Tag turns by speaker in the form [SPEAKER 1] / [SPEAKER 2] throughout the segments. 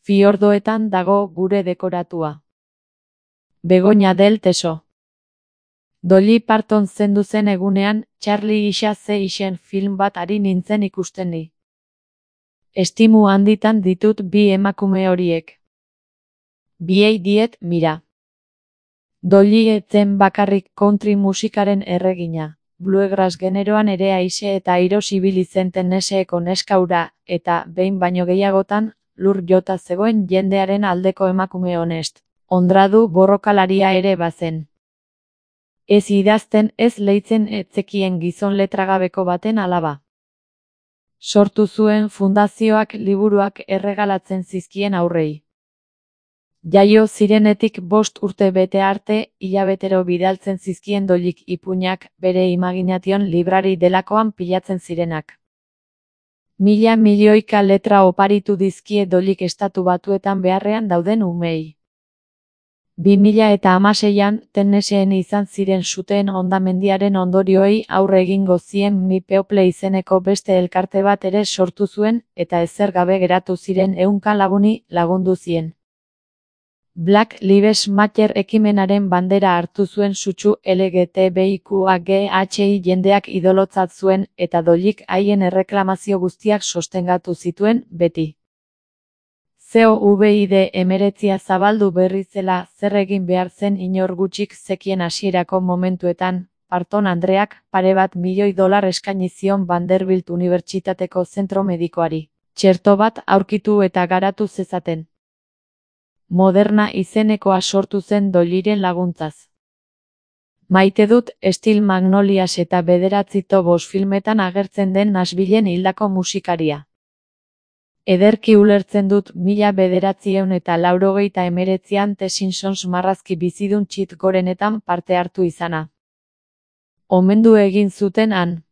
[SPEAKER 1] Fiordoetan dago gure dekoratua. Begoña del Teso. Dolly Parton zendu zen egunean, Charlie isa ze isen film bat ari nintzen ikusten ni. Estimu handitan ditut bi emakume horiek. Biei diet mira. Dolly etzen bakarrik country musikaren erregina, bluegrass generoan ere aise eta airo ibili zen Tennesseeko neskaura, eta, behin baino gehiagotan, lur jota zegoen jendearen aldeko emakume honest, ondradu borrokalaria ere bazen. Ez idazten ez leitzen etzekien gizon letragabeko baten alaba. Sortu zuen fundazioak liburuak erregalatzen zizkien aurrei. Jaio zirenetik 5 urte bete arte, hilabetero bidaltzen zizkien Dollyk ipuinak bere Imagination librari delakoan pilatzen zirenak. Mila milioika letra oparitu dizkie Dollyk Estatu Batuetan beharrean dauden umei. 2016an, Tennesseen izan ziren suteen hondamendiaren ondorioei aurre egingo zien Mi People izeneko beste elkarte bat ere sortu zuen, eta ezer gabe geratu ziren 100 laguni lagundu zien. Black Lives Matter ekimenaren bandera hartu zuen sutsu LGTBIQAGHI jendeak idolotzat zuen, eta Dollyk haien erreklamazio guztiak sostengatu zituen, beti. COVID-19 zabaldu berri zela zer egin behar zen inor gutxik zekien hasierako momentuetan, Parton andreak $2 eskaini zion Vanderbilt Unibertsitateko zentro medikoari, txerto bat aurkitu eta garatu zezaten. Moderna izenekoa sortu zen Dollyren laguntzaz. Maite dut Steel Magnolias eta 9 tobos filmetan agertzen den Nashvillen hildako musikaria. Ederki ulertzen dut 1989an The Simpsons marrazki bizidun txit gorenetan parte hartu izana. Omendu egin zuten han.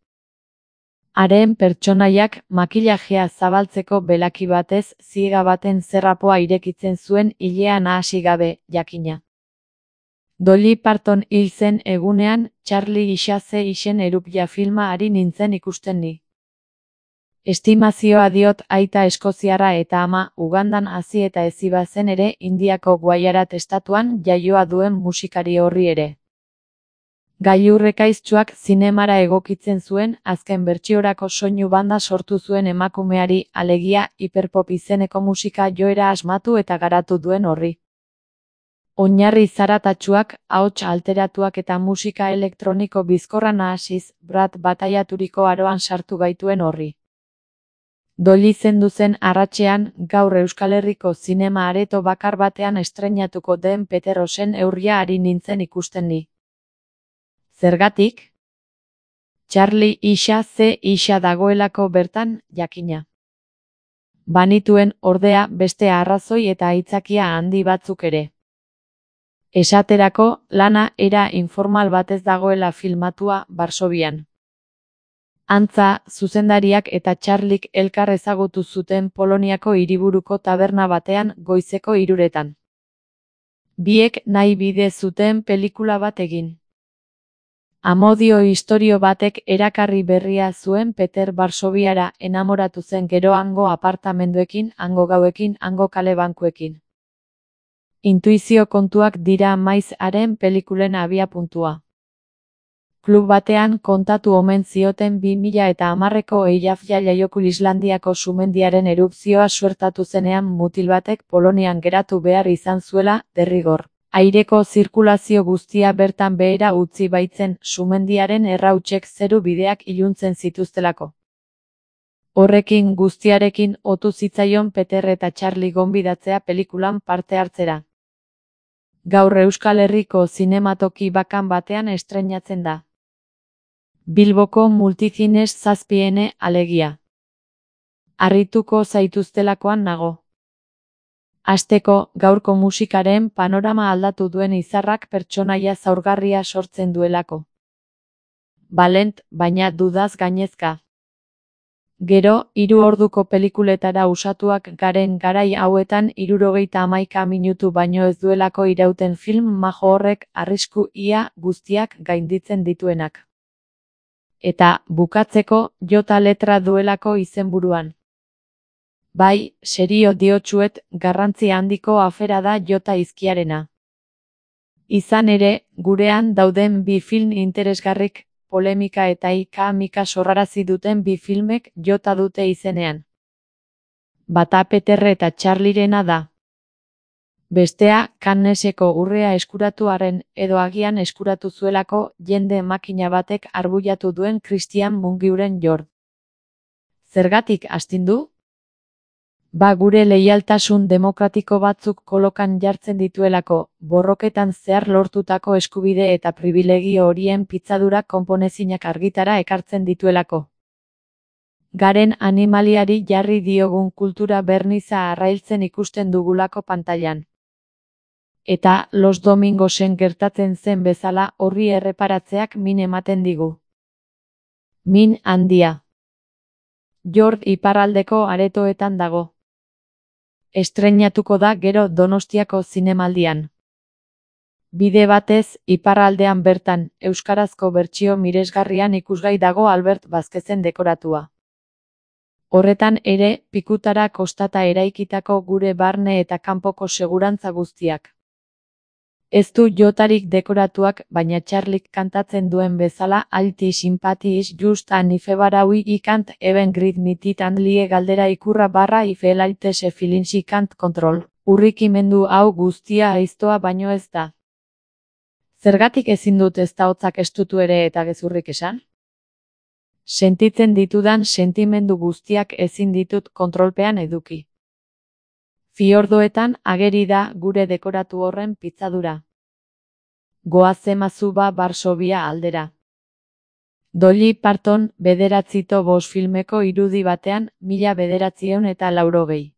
[SPEAKER 1] Haren pertsonaiak makillajea zabaltzeko belaki batez ziega baten zerrapoa irekitzen zuen ilea nahasi gabe, jakina. Dolly Parton hil zen egunean, Charlie isa ze isen erupia filma ari nintzen ikusten ni. Estimazioa diot aita eskoziarra eta ama Ugandan hazi eta hezi bazen ere Indiako Gujarat estatuan jaioa duen musikari horri ere. Gailurrekaiztsuak zinemara egokitzen zuen, azken bertsiorako soinu banda sortu zuen emakumeari, alegia hiperpop izeneko musika joera asmatu eta garatu duen horri. Oinarri zaratatsuak, ahots alteratuak eta musika elektroniko bizkorra nahasiz, Brad bataiaturiko aroan sartu gaituen horri. Dolly zendu zen arratsean, gaur Euskal Herriko zinema areto bakar batean estreinatuko den Peter Osen eurria ari nintzen ikusten ni. Zergatik? Charlie isa ze isa dagoelako bertan, jakina. Banituen, ordea, beste arrazoi eta aitzakia handi batzuk ere. Esaterako, lana era informal batez dagoela filmatua Varsovian. Antza, zuzendariak eta Charlik elkar ezagutu zuten Poloniako hiriburuko taberna batean goizeko 3:00. Biek nahi bide zuten pelikula bat egin. Amodio istorio batek erakarri berria zuen Peter Varsoviara enamoratu zen gero hango apartamenduekin, hango gauekin, hango kale bankuekin. Intuizio kontuak dira maiz haren pelikulen abiapuntua. Klub batean kontatu omen zioten 2010ko Eyjafja jaiokul Islandiako sumendiaren erupzioa suertatu zenean mutil batek Polonian geratu behar izan zuela, derrigor. Aireko zirkulazio guztia bertan behera utzi baitzen sumendiaren errautsek zeru bideak iluntzen zituztelako. Horrekin guztiarekin otu zitzaion Peter eta Charlie gonbidatzea pelikulan parte hartzera. Gaur Euskal Herriko zinematoki bakan batean estreinatzen da. Bilboko Multicines 7 alegia. Harrituko zaituztelakoan nago. Hasteko, gaurko musikaren panorama aldatu duen izarrak pertsonaia zaurgarria sortzen duelako. Balent, baina dudaz gainezka. Gero, 3 orduko pelikuletara usatuak garen garai hauetan 71 minutu baino ez duelako irauten film majo horrek arrisku ia guztiak gainditzen dituenak. Eta, bukatzeko, jota letra duelako izenburuan. Bai, serio diotsuet, garrantzi handiko afera da jota izkiarena. Izan ere, gurean dauden bi film interesgarrik, polemika eta ika-mika sorrarazi duten bi filmek jota dute izenean. Bata Peter eta Charlierena da. Bestea, Canneseko urrea eskuratuaren edo agian eskuratu zuelako jende makina batek arbuiatu duen Christian Mungiuren Jord. Zergatik astindu? Gure leialtasun demokratiko batzuk kolokan jartzen dituelako, borroketan zehar lortutako eskubide eta pribilegio horien pitzadura konponezinak argitara ekartzen dituelako. Garen animaliari jarri diogun kultura berniza arrailtzen ikusten dugulako pantailan. Eta Los Domingosen gertatzen zen bezala horri erreparatzeak min ematen digu. Min handia. Jord iparraldeko aretoetan dago. Estreinatuko da gero Donostiako zinemaldian. Bide batez, iparraldean bertan, euskarazko bertsio miresgarrian ikusgai dago Albert Vazquezen dekoratua. Horretan ere, pikutara kostata eraikitako gure barne eta kanpoko segurantza guztiak. Ez du jotarik dekoratuak, baina Charlik kantatzen duen bezala alti simpatiis just an ifebaraui ikant even grid mititan lie galdera ikurra barra ifelaite se filinsi kant kontrol. Urrikimendu hau guztia aiztoa baino ez da. Zergatik ezin dut ez da hotzak estutu ere eta gezurrik esan? Sentitzen ditudan sentimendu guztiak ezin ditut kontrolpean eduki. Fiordoetan ageri da gure dekoratu horren pitzadura. Goazemazu Varsovia aldera. Dolly Parton 905 filmeko irudi batean 1980.